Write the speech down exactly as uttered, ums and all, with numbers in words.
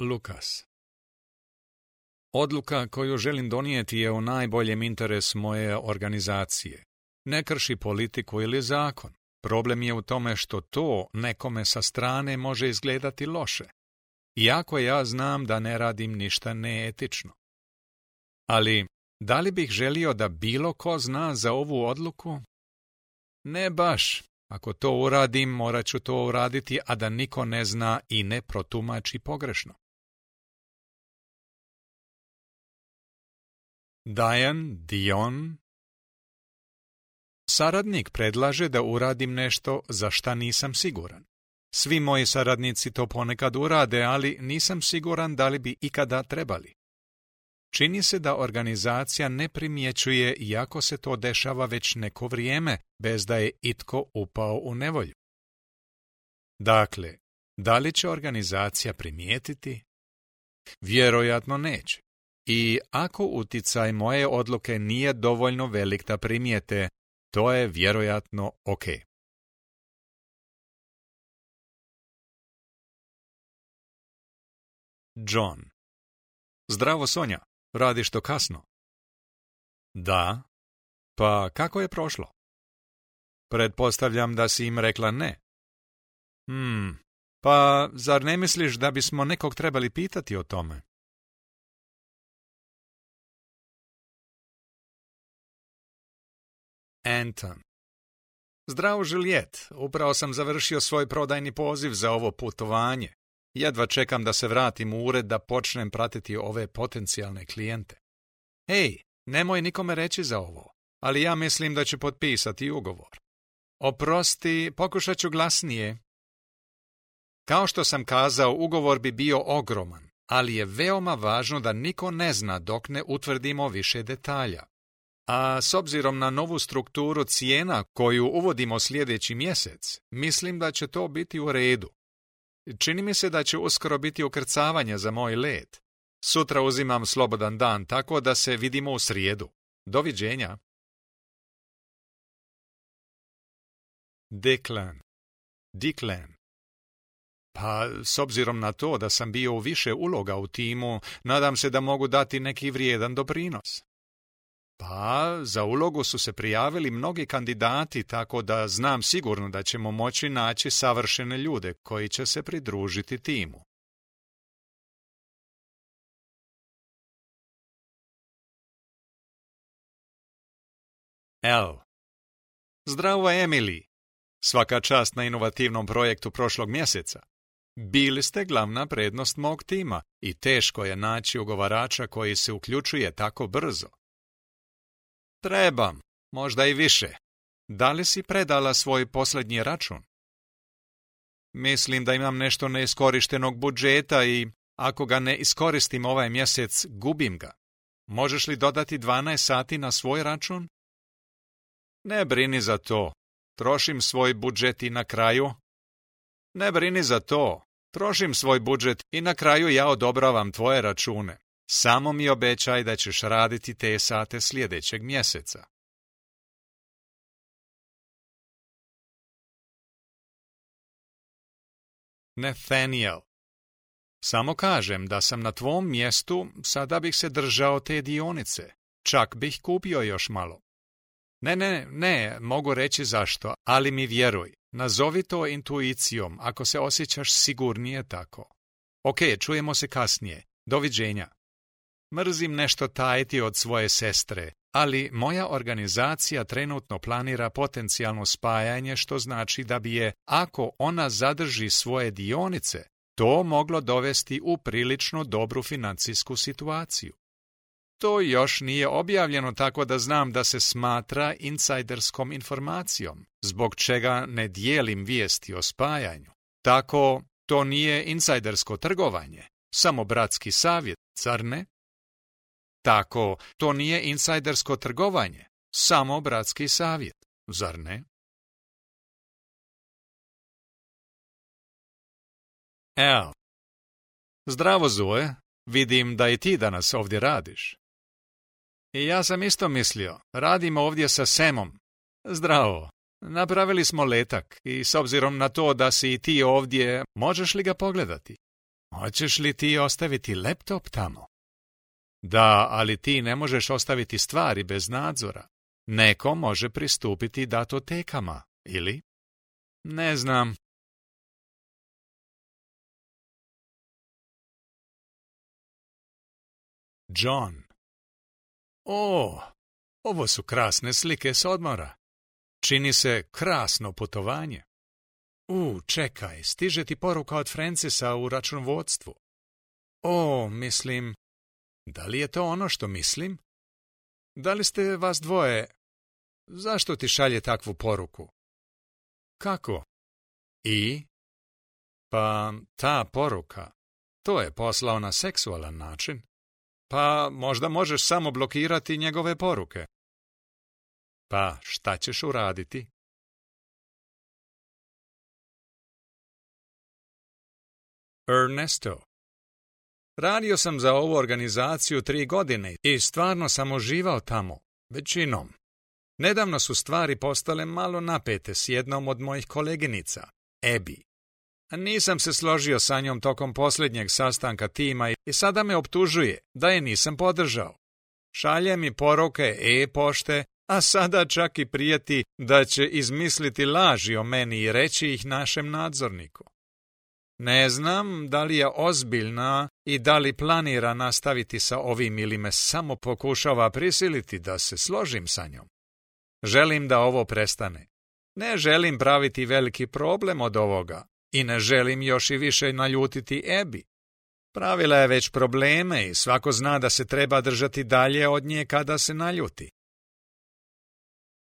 Lukas. Odluka koju želim donijeti je u najboljem interesu moje organizacije. Ne krši politiku ili zakon. Problem je u tome što to nekome sa strane može izgledati loše. Iako ja znam da ne radim ništa neetično. Ali, da li bih želio da bilo ko zna za ovu odluku? Ne baš. Ako to uradim, morat ću to uraditi, a da niko ne zna i ne protumači pogrešno. Diane Dion. Saradnik predlaže da uradim nešto za šta nisam siguran. Svi moji saradnici to ponekad urade, ali nisam siguran da li bi ikada trebali. Čini se da organizacija ne primjećuje, iako se to dešava već neko vrijeme, bez da je itko upao u nevolju. Dakle, da li će organizacija primijetiti? Vjerojatno neće. I ako uticaj moje odluke nije dovoljno velik da primijete, to je vjerojatno ok. John. Zdravo, Sonja. Radiš to kasno? Da. Pa kako je prošlo? Pretpostavljam da si im rekla ne. Hmm. Pa zar ne misliš da bismo nekog trebali pitati o tome? Anton. Zdravo, Juliet. Upravo sam završio svoj prodajni poziv za ovo putovanje. Jedva čekam da se vratim u ured da počnem pratiti ove potencijalne klijente. Hej, nemoj nikome reći za ovo, ali ja mislim da ću potpisati ugovor. Oprosti, pokušat ću glasnije. Kao što sam kazao, ugovor bi bio ogroman, ali je veoma važno da niko ne zna dok ne utvrdimo više detalja. A s obzirom na novu strukturu cijena koju uvodimo sljedeći mjesec, mislim da će to biti u redu. Čini mi se da će uskoro biti ukrcavanje za moj let. Sutra uzimam slobodan dan, tako da se vidimo u srijedu. Doviđenja. Declan. Declan. Pa, s obzirom na to da sam bio u više uloga u timu, nadam se da mogu dati neki vrijedan doprinos. Pa, za ulogu su se prijavili mnogi kandidati, tako da znam sigurno da ćemo moći naći savršene ljude koji će se pridružiti timu. L. Zdravo, Emily. Svaka čast na inovativnom projektu prošlog mjeseca. Bili ste glavna prednost mog tima i teško je naći ugovarača koji se uključuje tako brzo. Trebam, možda i više. Da li si predala svoj posljednji račun? Mislim da imam nešto neiskorištenog budžeta i ako ga ne iskoristim ovaj mjesec, gubim ga. Možeš li dodati dvanaest sati na svoj račun? Ne brini za to. Trošim svoj budžet i na kraju... Ne brini za to. Trošim svoj budžet i na kraju ja odobravam tvoje račune. Samo mi obećaj da ćeš raditi te sate sljedećeg mjeseca. Nathaniel. Samo kažem da sam na tvom mjestu, sada bih se držao te dionice. Čak bih kupio još malo. Ne, ne, ne, mogu reći zašto, ali mi vjeruj. Nazovi to intuicijom ako se osjećaš sigurnije tako. Ok, čujemo se kasnije. Doviđenja. Mrzim nešto tajiti od svoje sestre, ali moja organizacija trenutno planira potencijalno spajanje, što znači da bi je, ako ona zadrži svoje dionice, to moglo dovesti u prilično dobru financijsku situaciju. To još nije objavljeno, tako da znam da se smatra insajderskom informacijom, zbog čega ne dijelim vijesti o spajanju. Tako, to nije insajdersko trgovanje, samo bratski savjet, zar ne? Tako, to nije insajdersko trgovanje, samo bratski savjet, zar ne? L. Zdravo, Zoe. Vidim da i ti danas ovdje radiš. I ja sam isto mislio, radim ovdje sa Samom. Zdravo. Napravili smo letak i s obzirom na to da si i ti ovdje, možeš li ga pogledati? Hoćeš li ti ostaviti laptop tamo? Da, ali ti ne možeš ostaviti stvari bez nadzora. Neko može pristupiti datotekama, ili? Ne znam. John. O, ovo su krasne slike s odmora. Čini se krasno putovanje. U, čekaj, stiže ti poruka od Francisa u računovodstvu. O, mislim, da li je to ono što mislim? Da li ste vas dvoje? Zašto ti šalje takvu poruku? Kako? I? Pa, ta poruka, to je poslao na seksualan način. Pa, možda možeš samo blokirati njegove poruke. Pa, šta ćeš uraditi? Ernesto. Radio sam za ovu organizaciju tri godine i stvarno sam uživao tamo, većinom. Nedavno su stvari postale malo napete s jednom od mojih koleginica, Abby. Nisam se složio sa njom tokom posljednjeg sastanka tima i sada me optužuje da je nisam podržao. Šalje mi poruke e-pošte, a sada čak i prijeti da će izmisliti laži o meni i reći ih našem nadzorniku. Ne znam da li je ozbiljna i da li planira nastaviti sa ovim ili me samo pokušava prisiliti da se složim sa njom. Želim da ovo prestane. Ne želim praviti veliki problem od ovoga i ne želim još i više naljutiti Abby. Pravila je već probleme i svako zna da se treba držati dalje od nje kada se naljuti.